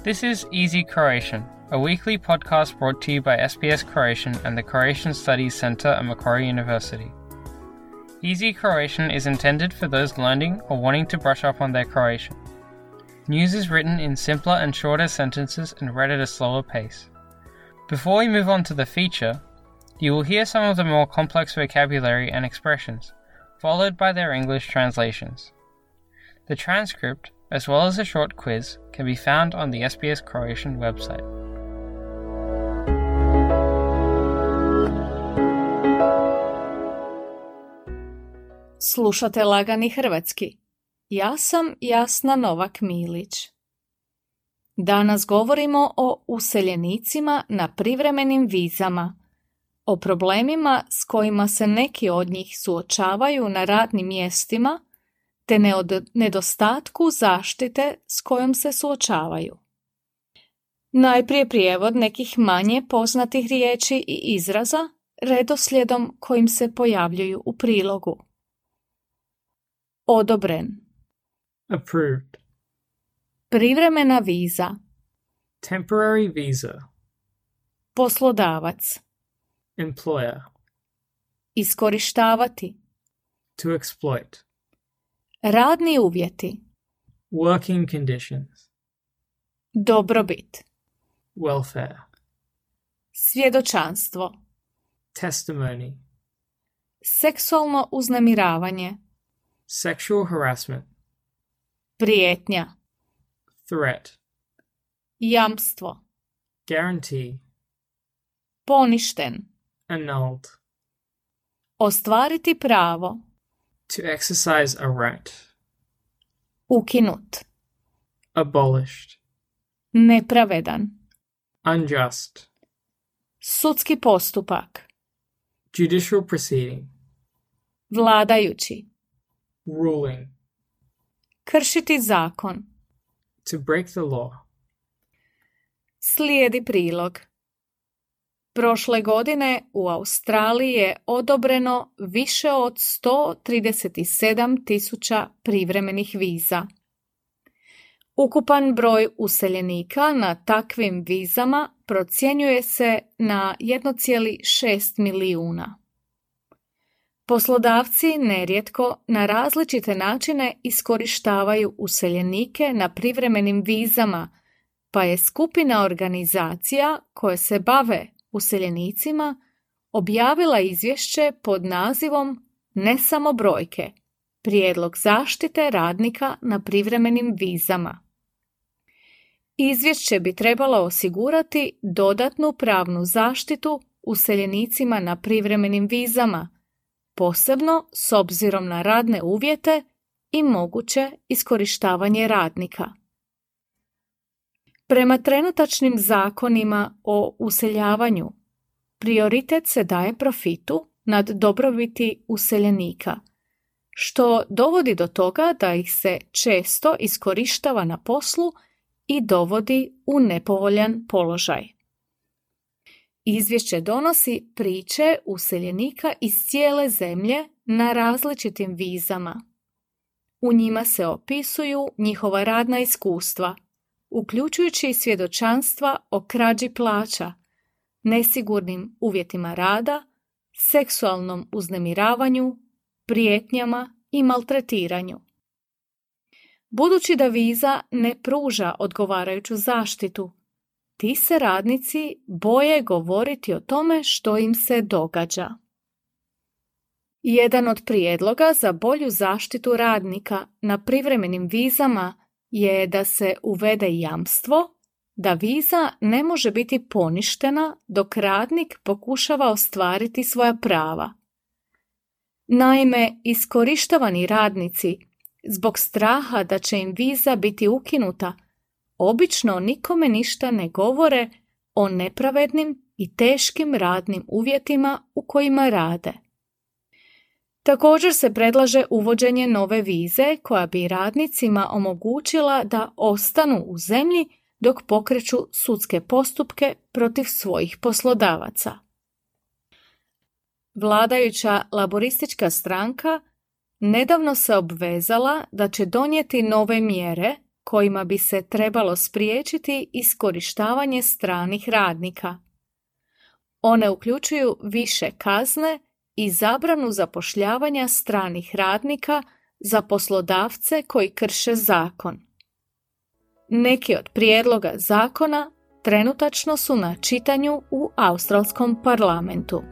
This is Easy Croatian, a weekly podcast brought to you by SBS Croatian and the Croatian Studies Centre at Macquarie University. Easy Croatian is intended for those learning or wanting to brush up on their Croatian. News is written in simpler and shorter sentences and read at a slower pace. Before we move on to the feature, you will hear some of the more complex vocabulary and expressions, followed by their English translations. The transcript, as well as a short quiz, can be found on the SBS Croatian website. Slušate Lagani hrvatski. Ja sam Jasna Novak-Milić. Danas govorimo o useljenicima na privremenim vizama, o problemima s kojima se neki od njih suočavaju na radnim mjestima, te nedostatku zaštite s kojom se suočavaju. Najprije prijevod nekih manje poznatih riječi i izraza redoslijedom kojim se pojavljuju u prilogu. Odobren. Approved. Privremena viza. Temporary visa. Poslodavac. Employer. Iskorištavati. To exploit. Radni uvjeti. Working conditions. Dobrobit. Welfare. Svjedočanstvo. Testimony. Seksualno uznemiravanje. Sexual harassment. Prijetnja. Threat. Jamstvo. Guarantee. Poništen. Annulled. Ostvariti pravo. To exercise a right. Ukinut. Abolished. Nepravedan. Unjust. Sudski postupak. Judicial proceeding. Vladajući. Ruling. Kršiti zakon. To break the law. Slijedi prilog. Prošle godine u Australiji je odobreno više od 137.000 privremenih viza. Ukupan broj useljenika na takvim vizama procjenjuje se na 1,6 milijuna. Poslodavci nerijetko na različite načine iskorištavaju useljenike na privremenim vizama, pa je skupina organizacija koje se bave useljenicima objavila izvješće pod nazivom Ne samo brojke, prijedlog zaštite radnika na privremenim vizama. Izvješće bi trebalo osigurati dodatnu pravnu zaštitu useljenicima na privremenim vizama, posebno s obzirom na radne uvjete i moguće iskorištavanje radnika. Prema trenutačnim zakonima o useljavanju, prioritet se daje profitu nad dobrobiti useljenika, što dovodi do toga da ih se često iskorištava na poslu i dovodi u nepovoljan položaj. Izvješće donosi priče useljenika iz cijele zemlje na različitim vizama. U njima se opisuju njihova radna iskustva, uključujući svjedočanstva o krađi plaća, nesigurnim uvjetima rada, seksualnom uznemiravanju, prijetnjama i maltretiranju. Budući da viza ne pruža odgovarajuću zaštitu, ti se radnici boje govoriti o tome što im se događa. Jedan od prijedloga za bolju zaštitu radnika na privremenim vizama je da se uvede jamstvo da viza ne može biti poništena dok radnik pokušava ostvariti svoja prava. Naime, iskorištavani radnici, zbog straha da će im viza biti ukinuta, obično nikome ništa ne govore o nepravednim i teškim radnim uvjetima u kojima rade. Također se predlaže uvođenje nove vize koja bi radnicima omogućila da ostanu u zemlji dok pokreću sudske postupke protiv svojih poslodavaca. Vladajuća laboristička stranka nedavno se obvezala da će donijeti nove mjere kojima bi se trebalo spriječiti iskorištavanje stranih radnika. One uključuju više kazne i zabranu zapošljavanja stranih radnika za poslodavce koji krše zakon. Neki od prijedloga zakona trenutačno su na čitanju u australskom parlamentu.